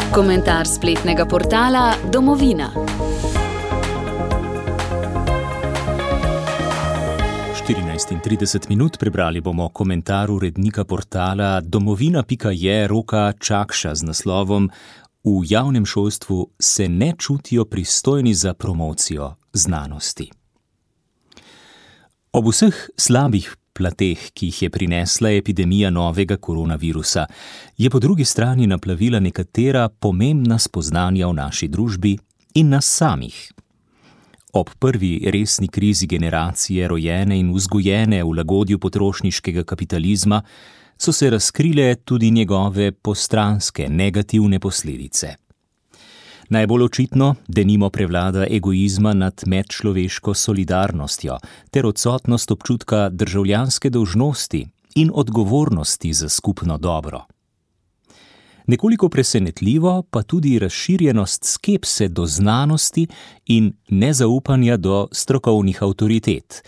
Komentar spletnega portala Domovina. 14:30 prebrali bomo komentar urednika portala domovina.je Roka Čakša z naslovom V javnem šolstvu se ne čutijo pristojni za promocijo znanosti. Ob vseh slabih plateh, ki jih je prinesla epidemija novega koronavirusa, je po drugi strani naplavila nekatera pomembna spoznanja v naši družbi in nas samih. Ob prvi resni krizi generacije, rojene in vzgojene v lagodju potrošniškega kapitalizma, so se razkrile tudi njegove postranske, negativne posledice. Najbolj očitno, denimo prevlada egoizma nad medčloveško solidarnostjo ter odsotnost občutka državljanske dolžnosti in odgovornosti za skupno dobro. Nekoliko presenetljivo pa tudi razširjenost skepse do znanosti in nezaupanja do strokovnih avtoritet,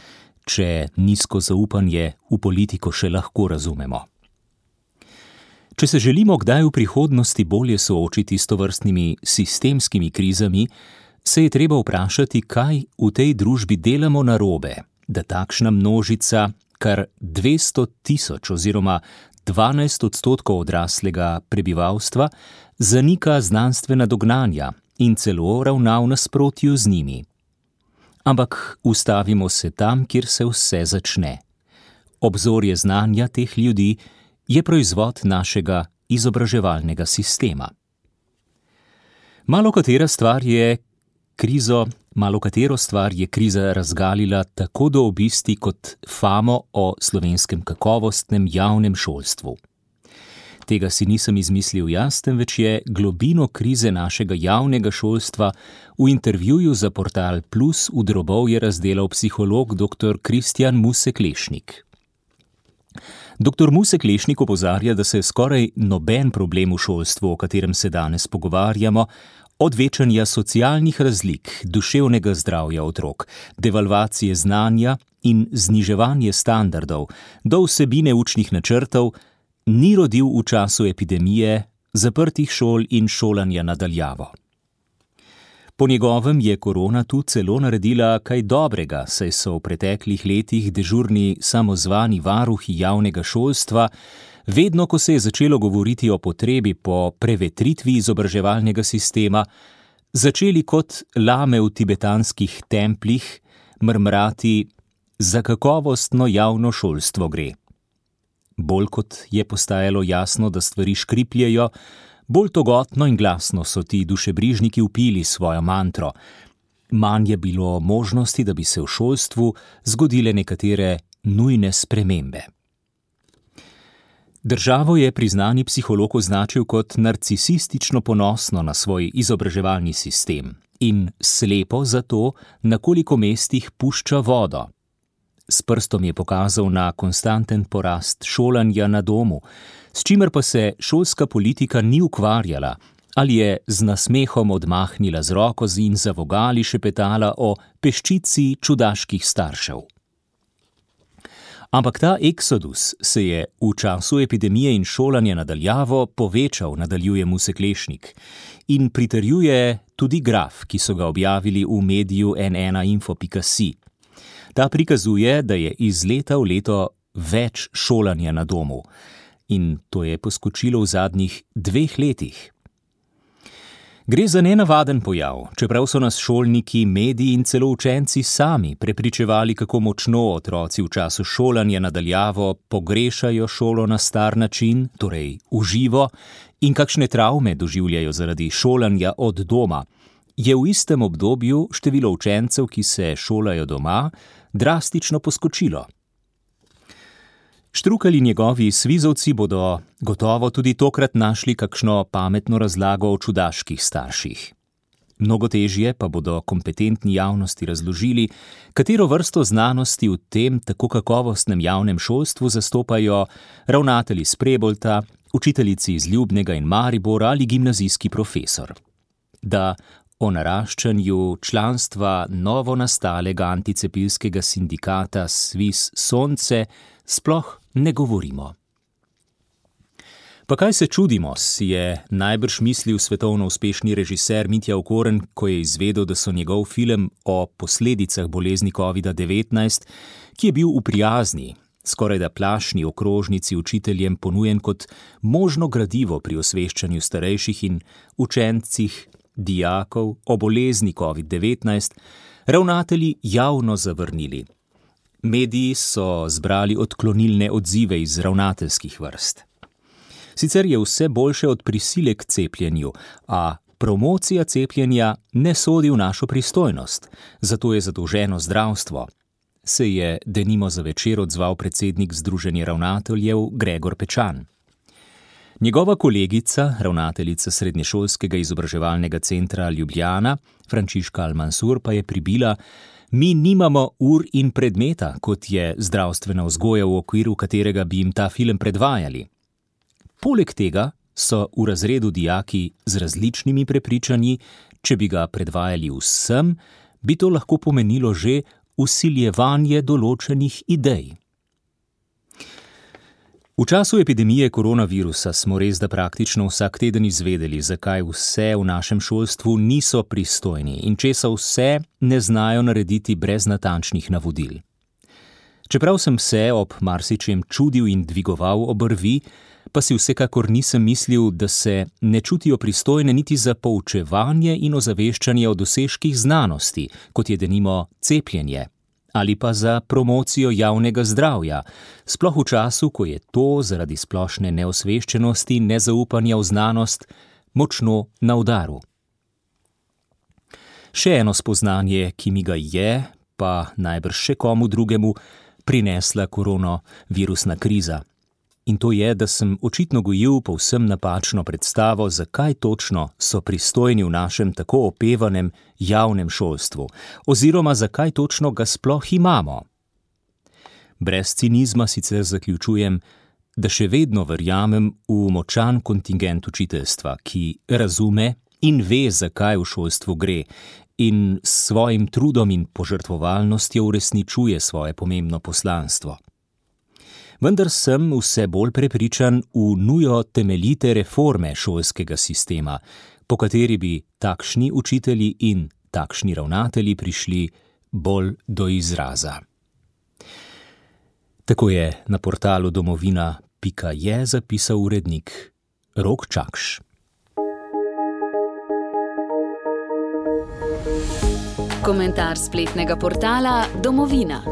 če nizko zaupanje v politiko še lahko razumemo. Če se želimo kdaj v prihodnosti bolje soočiti s tovrstnimi sistemskimi krizami, se je treba vprašati, kaj v tej družbi delamo narobe, da takšna množica, kar 200 000 oziroma 12% odraslega prebivalstva, zanika znanstvena dognanja in celo ravna v nasprotju z njimi. Ampak ustavimo se tam, kjer se vse začne. Obzorje znanja teh ljudi je proizvod našega izobraževalnega sistema. Malokatero stvar je kriza razgalila tako do obisti kot famo o slovenskem kakovostnem javnem šolstvu. Tega si nisem izmislil jaz, temveč je globino krize našega javnega šolstva v intervjuju za portal Plus v drobovje razdelal psiholog dr. Kristjan Musek-Lešnik. Dr. Musek-Lešnik opozarja, da se skoraj noben problem v šolstvu, o katerem se danes pogovarjamo, od večanja socialnih razlik, duševnega zdravja otrok, devalvacije znanja in zniževanje standardov, do vsebine učnih načrtov, ni rodil v času epidemije, zaprtih šol in šolanja na daljavo. Po njegovem je korona tu celo naredila kaj dobrega, saj so v preteklih letih dežurni samozvani varuhi javnega šolstva, vedno, ko se je začelo govoriti o potrebi po prevetritvi izobraževalnega sistema, začeli kot lame v tibetanskih templjih mrmrati: za kakovostno javno šolstvo gre. Bolj kot je postajalo jasno, da stvari škripljejo, bolj togotno in glasno so ti dušebrižniki vpili svojo mantro. Manj je bilo možnosti, da bi se v šolstvu zgodile nekatere nujne spremembe. Državo je priznani psiholog označil kot narcisistično ponosno na svoj izobraževalni sistem in slepo zato, na koliko mestih pušča vodo. S prstom je pokazal na konstanten porast šolanja na domu, s čimer pa se šolska politika ni ukvarjala, ali je z nasmehom odmahnila z roko in za vogali šepetala o peščici čudaških staršev. Ampak ta eksodus se je v času epidemije in šolanja na daljavo povečal, nadaljuje Musek-Lešnik, in pritrjuje tudi graf, ki so ga objavili v mediju n1info.si. Ta prikazuje, da je iz leta v leto več šolanja na domu, in to je poskočilo v zadnjih 2 letih. Gre za nenavaden pojav, čeprav so nas šolniki, mediji in celo učenci sami prepričevali, kako močno otroci v času šolanja na daljavo pogrešajo šolo na star način, torej v živo, in kakšne travme doživljajo zaradi šolanja od doma, je v istem obdobju število učencev, ki se šolajo doma, drastično poskočilo. Štrukelj in njegovi svizovci bodo gotovo tudi tokrat našli kakšno pametno razlago o čudaških starših. Mnogo težje pa bodo kompetentni javnosti razložili, katero vrsto znanosti v tem tako kakovostnem javnem šolstvu zastopajo ravnatelji iz Prebolta, učiteljici iz Ljubnega in Maribora ali gimnazijski profesor. Da o naraščanju članstva novonastalega anticepilskega sindikata Sviz Sonce sploh ne govorimo. Pa kaj se čudimo, si je najbrž mislil svetovno uspešni režiser Mitja Okorn, ko je izvedel, da so njegov film o posledicah bolezni COVID-19, ki je bil v prijazni, skorajda plašni okrožnici učiteljem ponujen kot možno gradivo pri osveščanju starejših in učencih, dijakov o bolezni COVID-19, ravnatelji javno zavrnili. Mediji so zbrali odklonilne odzive iz ravnateljskih vrst. Sicer je vse boljše od prisile k cepljenju, a promocija cepljenja ne sodi v našo pristojnost, zato je zadolženo zdravstvo, se je denimo za Večer odzval predsednik Združenja ravnateljev Gregor Pečan. Njegova kolegica, ravnateljica Srednješolskega izobraževalnega centra Ljubljana, Frančiška Al-Mansur, pa je pribila: mi nimamo ur in predmeta, kot je zdravstvena vzgoja, v okviru katerega bi jim ta film predvajali. Poleg tega so v razredu dijaki z različnimi prepričanji, če bi ga predvajali vsem, bi to lahko pomenilo že vsiljevanje določenih idej. V času epidemije koronavirusa smo res da praktično vsak teden izvedeli, zakaj vse v našem šolstvu niso pristojni in česa vse ne znajo narediti brez natančnih navodil. Čeprav sem se ob marsičem čudil in dvigoval obrvi, pa si vsekakor nisem mislil, da se ne čutijo pristojne niti za poučevanje in ozaveščanje o dosežkih znanosti, kot je denimo cepljenje, ali pa za promocijo javnega zdravja, sploh v času, ko je to zaradi splošne neosveščenosti, nezaupanja v znanost močno na udaru. Še eno spoznanje, ki mi ga je, pa najbrž še komu drugemu, prinesla koronavirusna kriza. In to je, da sem očitno gojil povsem napačno predstavo, zakaj točno so pristojni v našem tako opevanem javnem šolstvu, oziroma zakaj točno ga sploh imamo. Brez cinizma sicer zaključujem, da še vedno verjamem v močan kontingent učiteljstva, ki razume in ve, zakaj v šolstvu gre, in s svojim trudom in požrtvovalnostjo uresničuje svoje pomembno poslanstvo. Vendar sem vse bolj prepričan v nujo temeljite reforme šolskega sistema, po kateri bi takšni učitelji in takšni ravnatelji prišli bolj do izraza. Tako je na portalu domovina.je zapisal urednik Rok Čakš. Komentar spletnega portala Domovina.